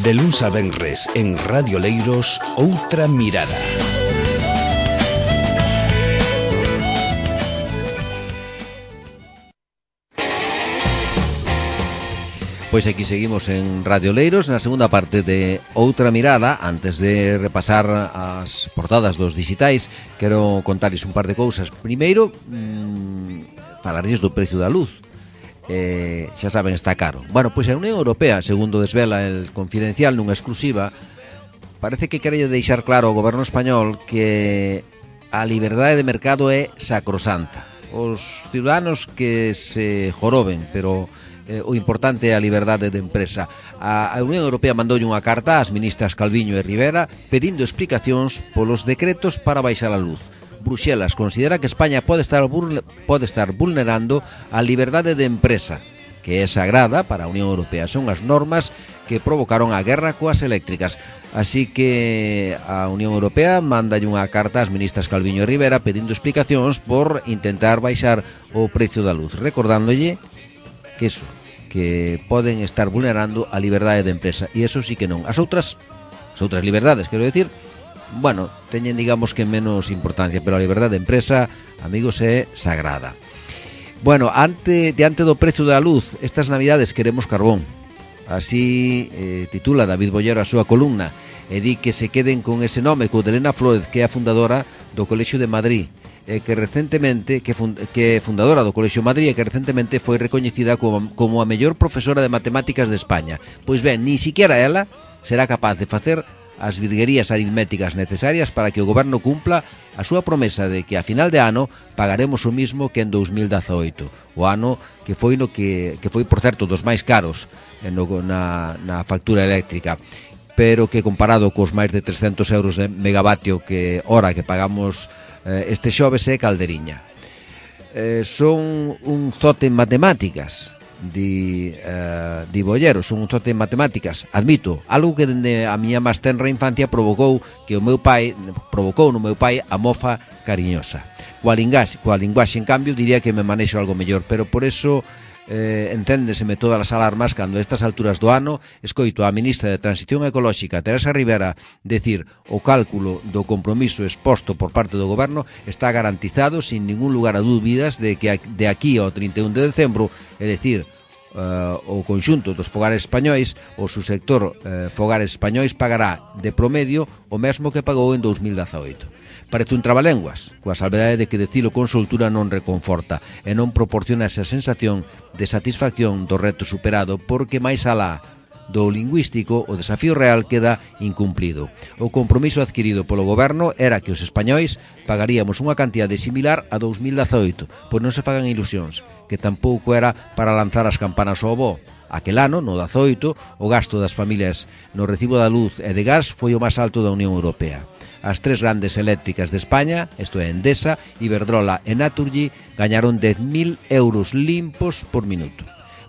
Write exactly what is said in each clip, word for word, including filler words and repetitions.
De luns a venres en Radio Leiros, Outra Mirada. Pois aquí seguimos en Radio Leiros na segunda parte de Outra Mirada. Antes de repasar as portadas dos digitais, quero contarles un par de cousas. Primeiro, mmm, falarles do precio da luz. Eh, xa saben, está caro. Bueno, pois a Unión Europea, segundo desvela el Confidencial nunha exclusiva, parece que quere deixar claro ao goberno español que a liberdade de mercado é sacrosanta. Os ciudadanos que se joroben, pero Eh, o importante é a liberdade de empresa. A, a Unión Europea mandoulle unha carta ás ministras Calviño e Rivera pedindo explicacións polos decretos para baixar a luz. Bruxelas considera que España pode estar, pode estar vulnerando a liberdade de empresa, que é sagrada para a Unión Europea. Son as normas que provocaron a guerra coas eléctricas. Así que a Unión Europea mandalle unha carta ás ministras Calviño e Rivera pedindo explicacións por intentar baixar o precio da luz, recordándolle que eso, que poden estar vulnerando a liberdade de empresa, e eso sí que non. As outras, as outras liberdades, quero decir, bueno, teñen, digamos, que menos importancia, pero a liberdade de empresa, amigos, é sagrada. Bueno, ante, diante do precio da luz, estas navidades queremos carbón. Así eh, titula David Bollero a súa columna, e di que se queden con ese nome, co de Elena Flórez, que é a fundadora do Colexio de Madrid, eh, que recentemente que, fund, que é fundadora do Colexio Madrid e que recentemente foi recoñecida como, como a mellor profesora de matemáticas de España. Pois ben, ni siquiera ela será capaz de facer as virguerías aritméticas necesarias para que o goberno cumpla a súa promesa de que a final de ano pagaremos o mismo que en dous mil dezaoito, o ano que foi no que, que foi, por certo, dos máis caros no, na, na factura eléctrica, pero que comparado cos máis de trescentos euros de megavatio que hora que pagamos este xoves é calderiña. Eh, son un zote en matemáticas, di, eh, di Bollero, son un zote en matemáticas. Admito, algo que dende a miña máis tenra infancia provocou que o meu pai, provocou no meu pai a mofa cariñosa. Coa linguaxe, coa linguaxe, en cambio, diría que me manexo algo mellor, pero por eso eh, enténdeseme todas as alarmas cando a estas alturas do ano escoito a ministra de Transición Ecolóxica, Teresa Rivera, decir o cálculo do compromiso exposto por parte do goberno está garantizado sin ningún lugar a dúbidas de que de aquí ao trinta e un de decembro, é dicir, Uh, o conxunto dos fogares españois, o subsector uh, fogares españois pagará de promedio o mesmo que pagou en dous mil dezaoito. Parece un trabalenguas, coa salvedade de que decilo con soltura non reconforta e non proporciona esa sensación de satisfacción do reto superado, porque máis alá do lingüístico o desafío real queda incumplido. O compromiso adquirido polo goberno era que os españois pagaríamos unha cantidade similar a dous mil dezaoito, pois non se fagan ilusións, que tampouco era para lanzar as campanas ao voo. Aquel ano, no dezaoito, o gasto das familias no recibo da luz e de gas foi o máis alto da Unión Europea. As tres grandes eléctricas de España, isto é, Endesa, Iberdrola e Naturgy, gañaron dez mil euros limpos por minuto.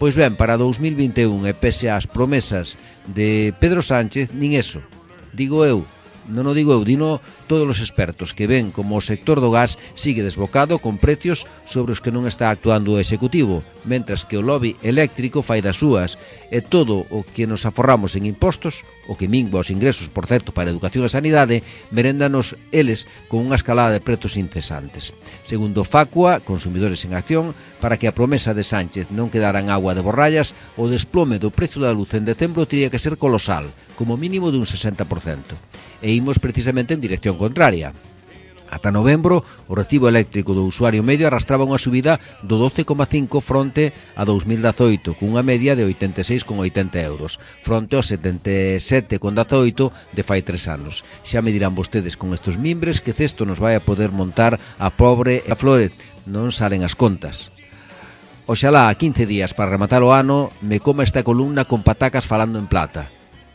Pois ben, para dous mil vinte e un, e pese ás promesas de Pedro Sánchez, nin eso. Digo eu, non o digo eu, dino todos os expertos que ven como o sector do gas sigue desbocado con precios sobre os que non está actuando o Executivo, mentras que o lobby eléctrico fai das súas, e todo o que nos aforramos en impostos, o que mingua os ingresos, por certo, para educación e sanidade, meréndanos eles con unha escalada de prezos incesantes. Segundo Facua, Consumidores en Acción, para que a promesa de Sánchez non quedara en agua de borrallas, o desplome do precio da luz en decembro teria que ser colosal, como mínimo dun sesenta por cento. E imos precisamente en dirección contraria. Ata novembro, o recibo eléctrico do usuario medio arrastraba unha subida do doce coma cinco fronte a dous mil dezaoito, cunha media de oitenta e seis coma oitenta euros, fronte aos setenta e sete coma dezaoito de fai tres anos. Xa me dirán vostedes con estes mimbres que cesto nos vai a poder montar a pobre e a Flórez, non salen as contas. Oxalá a quince días para rematar o ano me coma esta columna con patacas falando en plata.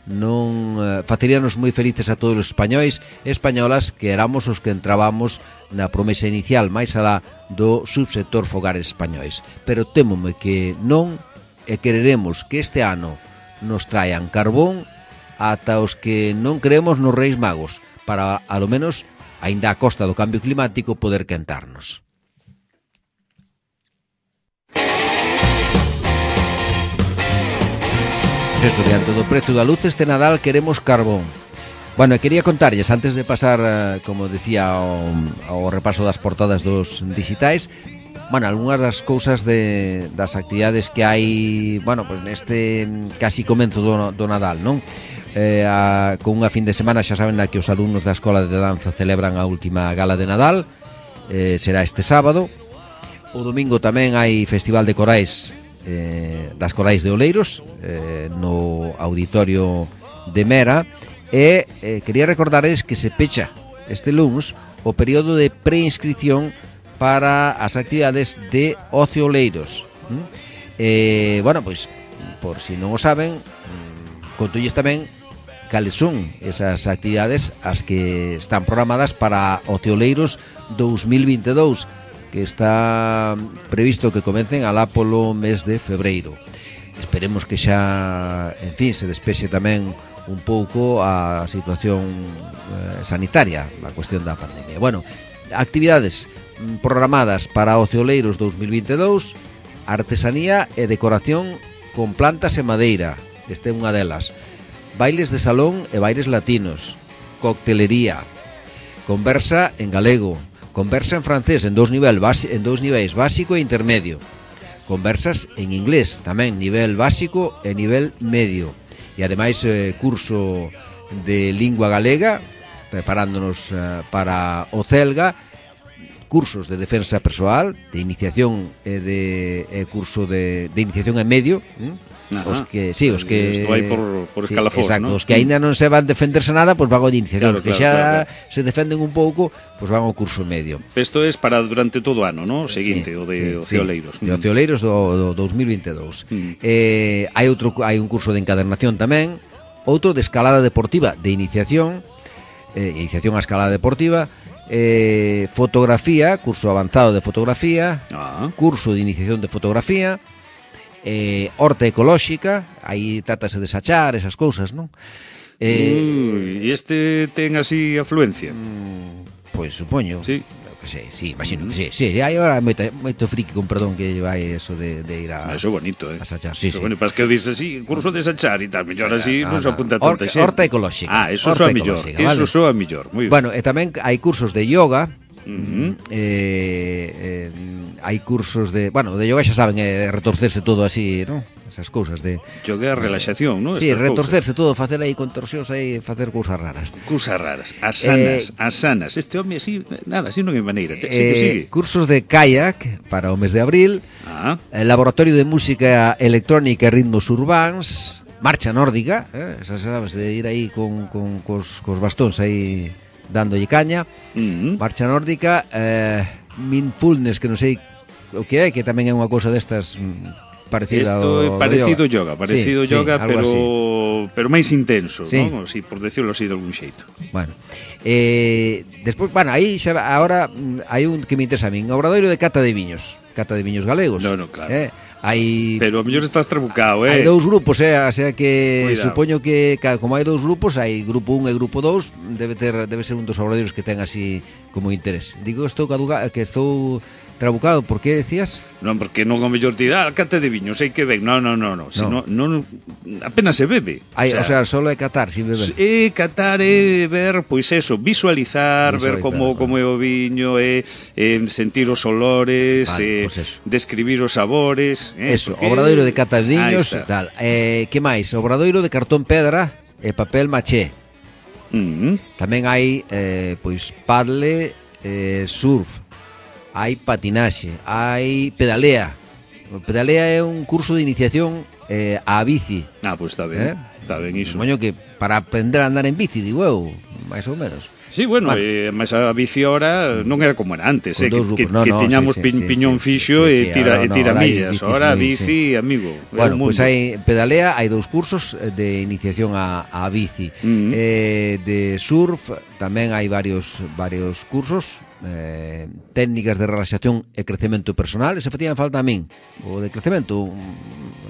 Non eh, faceríanos moi felices a todos os españois e españolas que éramos os que entrábamos na promesa inicial máis alá do subsector fogares españois, pero témome que non e quereremos que este ano nos traian carbón ata os que non creemos nos Reis Magos para, a lo menos, aínda a costa do cambio climático, poder quentarnos. eso, diante do prezo da luz este Nadal queremos carbón. Bueno, quería contarlles, antes de pasar, como decía, ao, ao repaso das portadas dos digitais, bueno, algunhas das cousas de, das actividades que hai, bueno, pues neste casi comenzo do, do Nadal, non? Eh, a, con unha fin de semana, xa saben, na que os alumnos da Escola de Danza celebran a última gala de Nadal, eh, será este sábado. O domingo tamén hai Festival de Corais, eh, das Corais de Oleiros, eh, no Auditorio de Mera. E eh, quería recordarles que se pecha este luns o período de preinscripción para as actividades de Ocio Oleiros. ¿Mm? Eh, bueno, pois, por si non o saben, contolles tamén cales son esas actividades as que están programadas para Ocio Oleiros dos mil vinte e dous, que está previsto que comecen alá polo mes de febreiro. Esperemos que xa, en fin, se despexe tamén un pouco a situación eh, sanitaria, a cuestión da pandemia. Bueno, actividades programadas para Ocio Oleiros dos mil vinte e dous: artesanía e decoración con plantas e madeira, esta é unha delas. Bailes de salón e bailes latinos, coctelería, conversa en galego, conversa en francés en dous nivel base, en dous niveis básico e intermedio, conversas en inglés tamén nivel básico e nivel medio. E ademais eh, curso de lingua galega, preparándonos eh, para o Celga, cursos de defensa persoal, de iniciación e de eh, curso de, de iniciación en medio, ¿eh? Os que, sí, os que isto vai por, por sí, escalafós, exacto, ¿no? os que aínda non se van defenderse nada, pois pues van ao de iniciación, claro, que claro, xa claro, claro. se defenden un pouco, pois pues van ao curso medio. Isto é para durante todo o ano, ¿no? O seguinte, sí, o de sí, Ocio Oleiros. Sí, de Ocio Oleiros do, do dos mil vinte e dous. Mm. Eh, hai outro hai un curso de encadernación tamén, outro de escalada deportiva de iniciación, eh, iniciación a escalada deportiva, eh, fotografía, curso avanzado de fotografía, ah. curso de iniciación de fotografía, eh, horta ecolóxica, aí trátase de sachar esas cousas, non? Eh, e este ten así afluencia? Mm, pois supoño. Sí. Que sei, sí, imagino que sí, sí, hai agora moito, moito friki, con perdón, que vai eso de, de ir a... Eso é bonito, eh? A sachar, sí, sí. Bueno, para que dices así, curso de sachar e tal, mellor así, non se apunta tanta xente. Horta ecolóxica. Ah, eso soa mellor, eso soa mellor, moi ben. Bueno, e tamén hai cursos de yoga, uh-huh. eh, eh, hai cursos de... Bueno, de yoga xa saben, é retorcerse todo así, non? Esas cousas de... Yoga é relaxación, non? Sí, retorcerse todo, facer aí contorsións aí, facer cousas raras. Cousas raras, asanas, eh, asanas. Este home así, nada, así non é maneira. Sigue, eh, sigue. Cursos de kayak para o mes de abril, ah. eh, laboratorio de música electrónica e ritmos urbáns, marcha nórdica, eh, esas sabes, de ir aí con, con cos, cos bastóns aí dándolle caña, uh-huh. marcha nórdica, eh, mindfulness, que non sei o que é, que tamén é unha cousa destas... parecida Esto ao, é parecido yoga, yoga, parecido sí, yoga, sí, pero así. pero máis intenso, sí. non? Si, por decirlo así de algún xeito. Bueno, eh, despois, bueno, aí xa agora hai un que me interesa a min, obradoiro de cata de viños, cata de viños galegos. No, no, claro. Eh, hai Pero a mellor estás trabucado, eh. Hai dous grupos, eh, o sea que Cuidado. Supoño que como hai dous grupos, hai grupo un e grupo dous, debe ter debe ser un dos obradoiros que ten así como interés. Digo, estou caduca, que estou trabucado, por que decías? Non, porque non o mellor te dá cata de viño, sei que ben. Non, non, non, non, si no. non apenas se bebe. Hai, o sea, o sea, solo é catar sin beber. É catar é ver, pois eso, visualizar, visualizar ver como vale. como é o viño, é, é sentir os olores, vale, é pues describir os sabores, eh, eso, porque... obradoiro de cata de viños, tal. Eh, que máis? Obradoiro de cartón pedra e papel maché. Uh-huh. Tamén hai eh, pois paddle, eh, surf, hai patinaxe, hai pedalea. O pedalea é un curso de iniciación eh, á bici. Ah, pois pues está ben, eh? está ben iso. Moño que para aprender a andar en bici, digo eu, máis ou menos. Sí, bueno, vale. eh, mas a bici ahora non era como era antes, eh, que, que, no, que no, tiñamos sí, pi, sí, piñón sí, fixo sí, sí, e tira, ahora e tira no, millas. Ahora muy, bici, sí. amigo. Bueno, pois pues hai pedalea, hai dous cursos de iniciación á, á bici. Uh-huh. Eh, de surf tamén hai varios varios cursos, eh, técnicas de relaxación e crecemento personal, ese facían falta a min. O de crecemento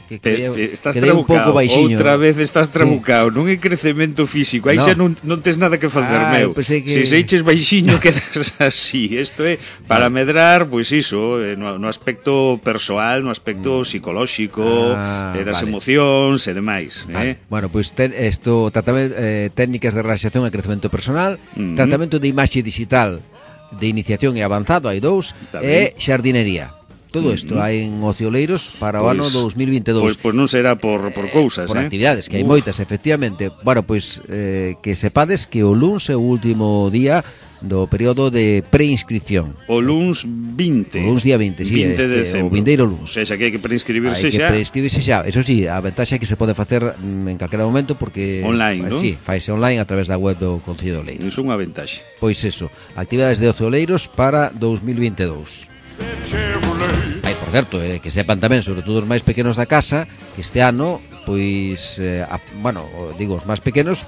que Pe, que, estás que un pouco baixiño. Outra vez estás trabucao, sí. Non é crecemento físico, aí no. xa non, non tes nada que facer, ah, meu. Que... Se seiches baixiño quedas así. Isto é para medrar, pois iso, no, no aspecto persoal, no aspecto psicolóxico, ah, eh, das vale. emocións e demais, vale. eh? Bueno, pois pues, isto tratamento eh, técnicas de relaxación e crecemento personal, uh-huh. tratamento de imaxe digital de iniciación e avanzado, hai dous, e xardinería. Todo isto uh-huh. hai en Ocioleiros para o pues, ano dous mil vinte e dous. Pois pues, pues non será por, por cousas, eh, por eh? actividades, que hai Uf. moitas, efectivamente. Bueno, pois pues, eh, que sepades que o luns é o último día do período de preinscripción. O luns vinte. O luns día vinte, sí, vinte de este, o vindeiro luns. O sea, que hai que preinscribirse xa. Hai que preinscribirse xa. Eso sí, a ventaxa é que se pode facer en calquera momento porque... Online, non? Sí, faise online a través da web do Concello de Oleiros. Iso é unha ventaxa. Pois eso, actividades de Ocio Oleiros para dous mil vinte e dous. Hai, por certo, eh, que sepan tamén, sobre todo os máis pequenos da casa, que este ano, pois, eh, a, bueno, digo, os máis pequenos,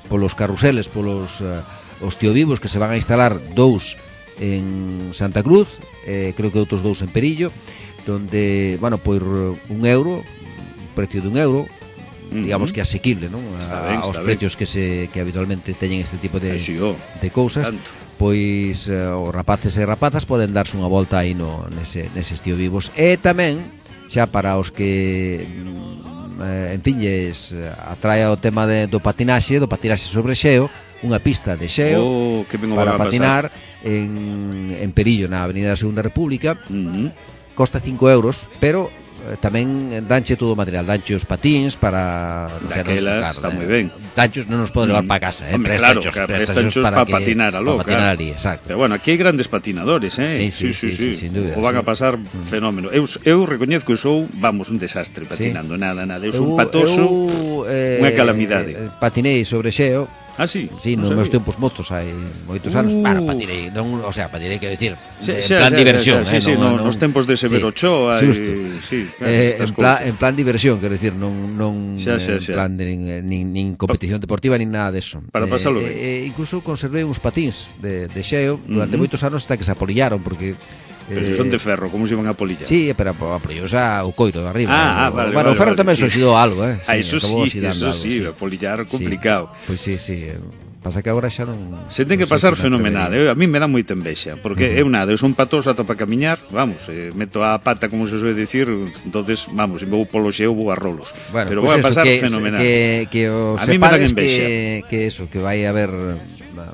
polos carruseles, polos... Eh, os tiovivos que se van a instalar dous en Santa Cruz, eh, creo que outros dous en Perillo, donde, bueno, por un euro, un precio de un euro, uh-huh. digamos que asequible, non? A, ben, aos precios que se que habitualmente teñen este tipo de, sí, oh, de cousas, tanto. Pois uh, os rapaces e rapazas poden darse unha volta aí no, nese, neses tiovivos. E tamén, xa para os que... Eh, en fin, lles atrae o tema de, do patinaxe, do patinaxe sobre xeo, unha pista de xeo oh, que para patinar en, en Perillo, na Avenida da Segunda República. Uh-huh. Costa cinco euros, pero eh, tamén danche todo o material, danche os patins para... O sea, daquela, claro, está moi ben. Danchos non nos pode levar mm. para casa, eh? Hombre, prestanchos, claro, prestanchos para, para que, patinar aló, para patinar claro. ali, exacto. Pero bueno, aquí hai grandes patinadores, eh? Sí, sí, sí, sí, sí, sí, sin dúbida. O van sí. a pasar mm. fenómeno. Eu, eu recoñezco que sou, vamos, un desastre patinando, sí. nada, nada. Eu sou un patoso, eu, eh, unha calamidade. Eh, patinei sobre xeo. Ah, sí? Sí, nos meus tempos mozos hai moitos anos. Uh. Bueno, patinei, non, o sea, patinei, quero dicir, sí, en sí, plan sí, diversión, sí, eh, sí, non, no, non, nos tempos de Severo sí, Ochoa, justo. E, sí, claro, eh, en, plan, en plan diversión, quero dicir, non, non xa, xa, xa. en plan de nin, nin, nin competición deportiva nin nada deso. Para pasalo ben. Eh, eh, incluso conservei uns patins de, de xeo durante uh-huh. moitos anos hasta que se apolillaron, porque pero se son de ferro, como se iban a polillar? Sí, pero apolillouse o coiro de arriba. Ah, ah o, vale, bueno, vale, o ferro vale, tamén sí. se oxidou algo, eh. Ah, eso sí, eso algo, sí, sí, apolillar complicado. Sí. Pois sí, sí, pasa que agora xa non... Se ten que pasar fenomenal, eu, a mí me dá moita envexa, porque uh-huh. eu nada, eu son patoso ata para camiñar, vamos, eh, meto a pata, como se suele decir, entonces, vamos, se vou polo xeo, vou a rolos. Bueno, pero pues vai a eso, pasar que, fenomenal. Que, que os a mí me dan envexa. Que, que eso, que vai a haber...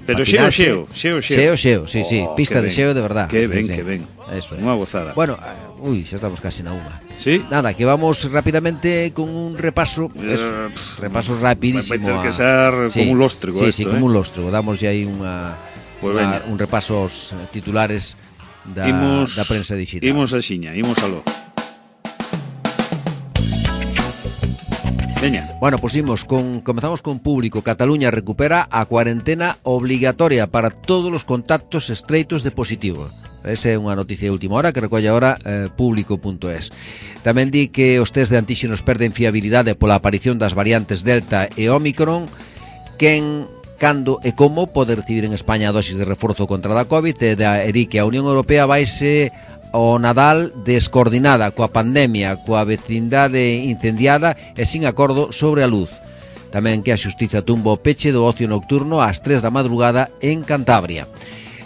Pero xeo, xeo, xeo, xeo. Xeo, xeo, sí, oh, sí, pista de xeo de verdad. Que ben, sí, que ben. Eso. Unha gozada. Bueno, uy, xa estamos casi na unha. Sí? Nada, que vamos rapidamente con un repaso, eso, uh, repaso rapidísimo. Vai ter que ser sí, como un lóstrego sí, esto, sí, eh? como un lóstrego. Damos ya aí unha, pues unha un repaso aos titulares da, imos, da prensa digital. Imos a xiña, imos aló. Veña. Bueno, pues imos con, comezamos con público. Cataluña recupera a cuarentena obligatoria para todos os contactos estreitos de positivo. Esa é unha noticia de última hora que recolle agora eh, público punto es. Tamén di que os test de antíxenos perden fiabilidade pola aparición das variantes Delta e Omicron. Quen, cando e como pode recibir en España a dosis de reforzo contra a COVID, e, da, e di que a Unión Europea vaise o Nadal descoordinada coa pandemia, coa vecindade incendiada e sin acordo sobre a luz. Tamén que a xustiza tumba o peche do ocio nocturno ás tres da madrugada en Cantabria.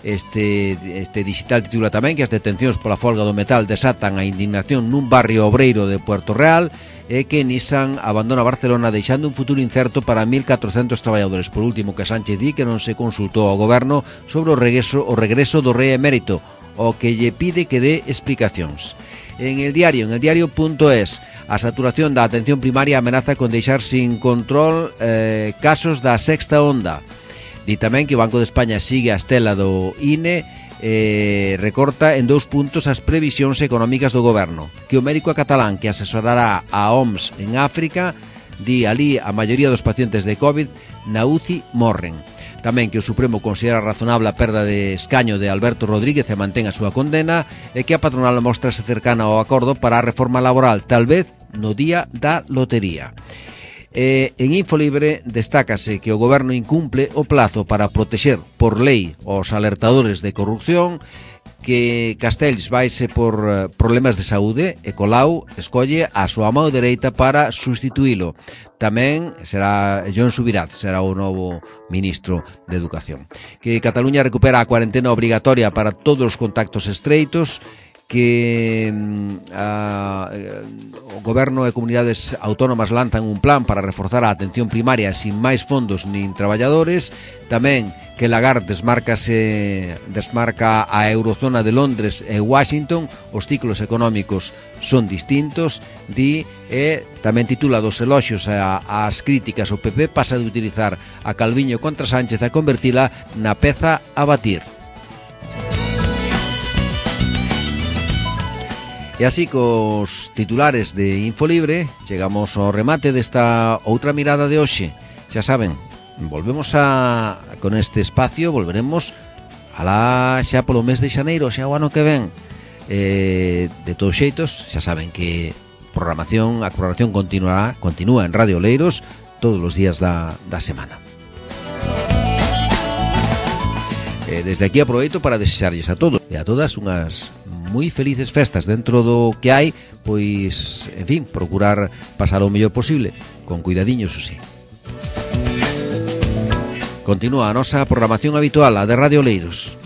Este, este digital titula tamén que as detencións pola folga do metal desatan a indignación nun barrio obreiro de Puerto Real e que Nissan abandona Barcelona deixando un futuro incerto para mil catrocentos traballadores. Por último, que Sánchez di que non se consultou ao goberno sobre o regreso, o regreso do rei emérito, o que lle pide que dé explicacións. En el diario, en el diario punto es, a saturación da atención primaria amenaza con deixar sin control eh, casos da sexta onda. Di tamén que o Banco de España sigue a estela do I N E, eh, recorta en dous puntos as previsións económicas do goberno. Que o médico catalán que asesorará a O M S en África, di ali a maioría dos pacientes de COVID na U C I morren. Tamén que o Supremo considera razonable a perda de escaño de Alberto Rodríguez e mantén a súa condena, e que a patronal mostrase cercana ao acordo para a reforma laboral, tal vez no día da lotería. E en Infolibre destácase que o goberno incumple o plazo para protexer por lei os alertadores de corrupción, que Castells vaise por problemas de saúde e Colau escolle a súa mão dereita para sustituílo. Tamén será Jon Subirats, será o novo ministro de Educación. Que Cataluña recupera a cuarentena obrigatoria para todos os contactos estreitos, que a, o goberno e comunidades autónomas lanzan un plan para reforzar a atención primaria sin máis fondos nin traballadores. Tamén que Lagarde desmarcase, desmarca a eurozona de Londres e Washington, os ciclos económicos son distintos, di, e tamén titula dos eloxios ás críticas o P P pasa de utilizar a Calviño contra Sánchez a convertila na peza a batir. E así cos titulares de Infolibre chegamos ao remate desta outra mirada de hoxe. Xa saben, volvemos a con este espacio, volveremos alá xa polo mes de xaneiro, xa o ano que ven. Eh, de todos xeitos, xa saben que programación, a programación continuará, continúa en Radio Leiros todos os días da, da semana. Eh, desde aquí aproveito para desexarlles a todos e a todas unhas moi felices festas dentro do que hai, pois, en fin, procurar pasar o mellor posible, con cuidadiños, o sí. Continúa a nosa programación habitual, a de Radio Leiros.